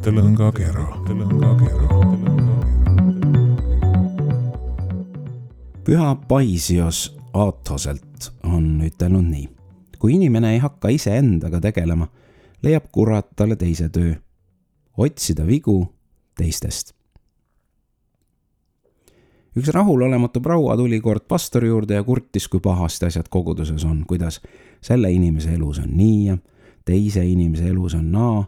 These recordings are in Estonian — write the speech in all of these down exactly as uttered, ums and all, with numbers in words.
Tõlõngakera. Püha Paisios Aathoselt on ütelnud nii. Kui inimene ei hakka ise endaga tegelema, leiab kurat talle teise töö. Otsida vigu teistest. Üks rahulolematu proua tuli kord pastori juurde ja kurtis, kui pahasti asjad koguduses on, kuidas selle inimese elus on nii ja teise inimese elus on naa,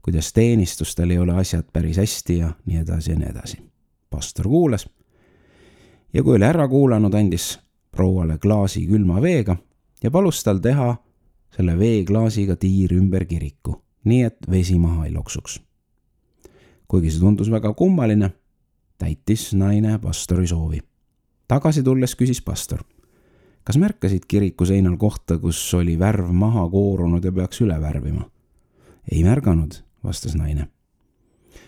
kuidas teenistustel ei ole asjad päris hästi ja nii edasi ja nii edasi. Pastor kuulas ja kui oli ära kuulanud, andis prouale klaasi külma veega ja palus tal teha selle veeklaasiga tiir ümber kiriku, nii et vesi maha ei loksuks. Kuigi see tundus väga kummaline, täitis naine pastori soovi. Tagasi tulles küsis pastor, kas märkasid kiriku seinal kohta, kus oli värv maha koorunud ja peaks üle värvima? Ei märganud, vastas naine.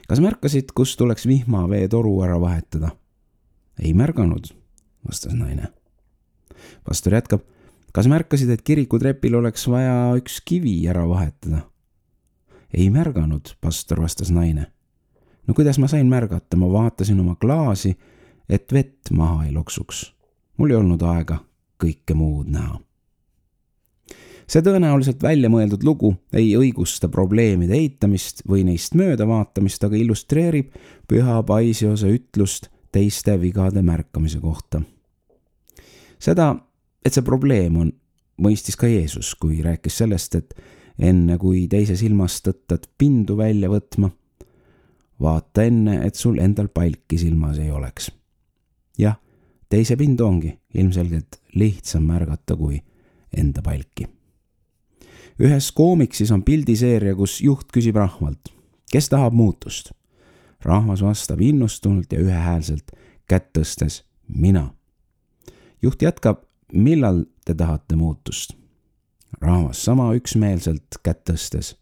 Kas märkasid, kus tuleks vihmavee toru ära vahetada? Ei märganud, vastas naine. Pastor jätkab, kas märkasid, et kiriku trepil oleks vaja üks kivi ära vahetada? Ei märganud, pastor, vastas naine. No kuidas ma sain märgata, ma vaatasin oma klaasi, et vett maha ei loksuks. Mul ei olnud aega kõike muud näha. See tõenäoliselt välja mõeldud lugu ei õigusta probleemide eitamist või neist mööda vaatamist, aga illustreerib Püha Paisiose ütlust teiste vigade märkamise kohta. Seda, et see probleem on, mõistis ka Jeesus, kui rääkis sellest, et enne kui teise silmast tõttad pindu välja võtma, vaata enne, et sul endal palki silmas ei oleks. Jah, teise pindu ongi ilmselgelt lihtsam märgata kui enda palki. Ühes koomiksis on pildiseeria, kus juht küsib rahvalt, kes tahab muutust. Rahvas vastab innustunult ja ühehäälselt kätt tõstes mina. Juht jätkab, millal te tahate muutust? Rahvas sama üksmeelselt kätt tõstes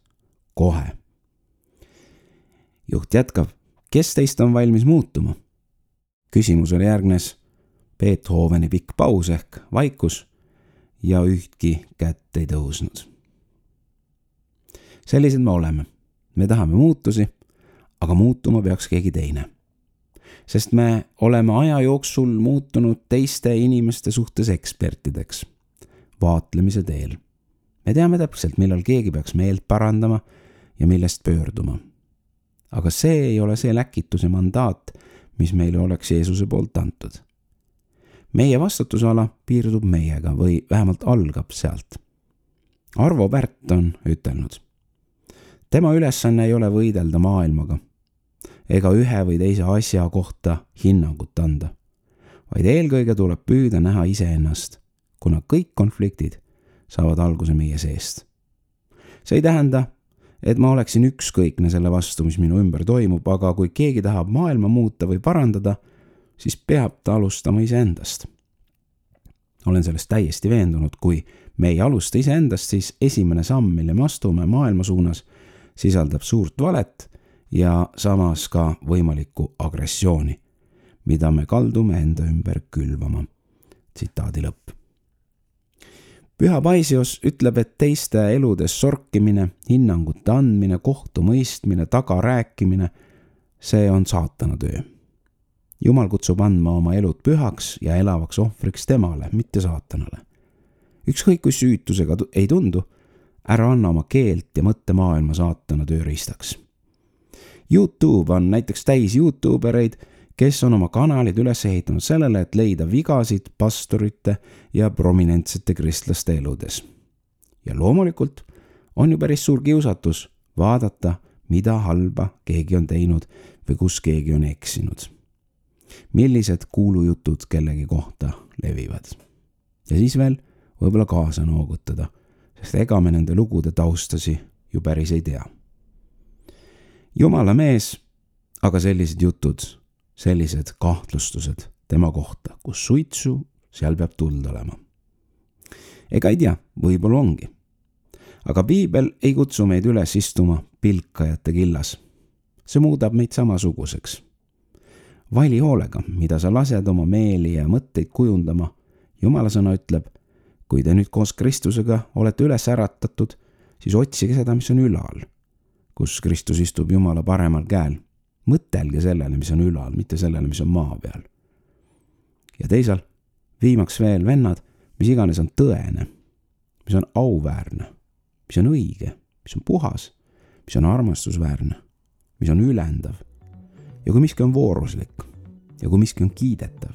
kohe. Juht jätkab, kes teist on valmis muutuma? Küsimusele järgnes Beethoveni pikk paus ehk vaikus ja ühtki kätt ei tõusnud. Sellised me oleme. Me tahame muutusi, aga muutuma peaks keegi teine. Sest me oleme aja jooksul muutunud teiste inimeste suhtes ekspertideks. Vaatlemise teel. Me teame täpselt, millal keegi peaks meelt parandama ja millest pöörduma. Aga see ei ole see läkituse mandaat, mis meile oleks Jeesuse poolt antud. Meie vastutusala piirdub meiega või vähemalt algab sealt. Arvo Pärt on ütelnud. Tema ülesanne ei ole võidelda maailmaga ega ühe või teise asja kohta hinnangut anda, vaid eelkõige tuleb püüda näha iseennast, kuna kõik konfliktid saavad alguse meie seest. See ei tähenda, et ma oleksin ükskõikne selle vastu, mis minu ümber toimub, aga kui keegi tahab maailma muuta või parandada, siis peab ta alustama iseendast. Olen sellest täiesti veendunud, kui me ei alusta iseendast, siis esimene samm, mille me astume maailma suunas, sisaldab suurt valet ja samas ka võimalikku agressiooni, mida me kaldume enda ümber külvama. Tsitaadi lõpp. Püha Paisios ütleb, et teiste eludes sorkimine, hinnangute andmine, kohtumõistmine, tagarääkimine, see on saatana töö. Jumal kutsub andma oma elud pühaks ja elavaks ohvriks temale, mitte saatanale. Ükskõik kui süütusega ei tundu, ära anna oma keelt ja mõttemaailma saatana tööriistaks. YouTube on näiteks täis YouTubereid, kes on oma kanalid üles ehitanud sellele, et leida vigasid pastorite ja prominentsete kristlaste eludes. Ja loomulikult on ju päris suur kiusatus vaadata, mida halba keegi on teinud või kus keegi on eksinud. Millised kuulujutud kellegi kohta levivad. Ja siis veel võib-olla kaasa noogutada, sest ega me nende lugude taustasi ju päris ei tea. Jumala mees, aga sellised jutud, sellised kahtlustused tema kohta, kus suitsu, seal peab tuld olema. Ega ei tea, võib-olla ongi. Aga Piibel ei kutsu meid üles istuma pilkajate killas. See muudab meid samasuguseks. Vali hoolega, mida sa lased oma meeli ja mõtteid kujundama. Jumala sõna ütleb, kui te nüüd koos Kristusega olete üles äratatud, siis otsige seda, mis on ülal, kus Kristus istub Jumala paremal käel. Mõtelge sellele, mis on ülal, mitte sellele, mis on maa peal. Ja teisal, viimaks veel vennad, mis iganes on tõene, mis on auväärne, mis on õige, mis on puhas, mis on armastusväärne, mis on ülendav. Ja kui miski on vooruslik ja kui miski on kiidetav,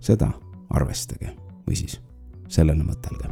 seda arvestage või siis sellele mõtelge.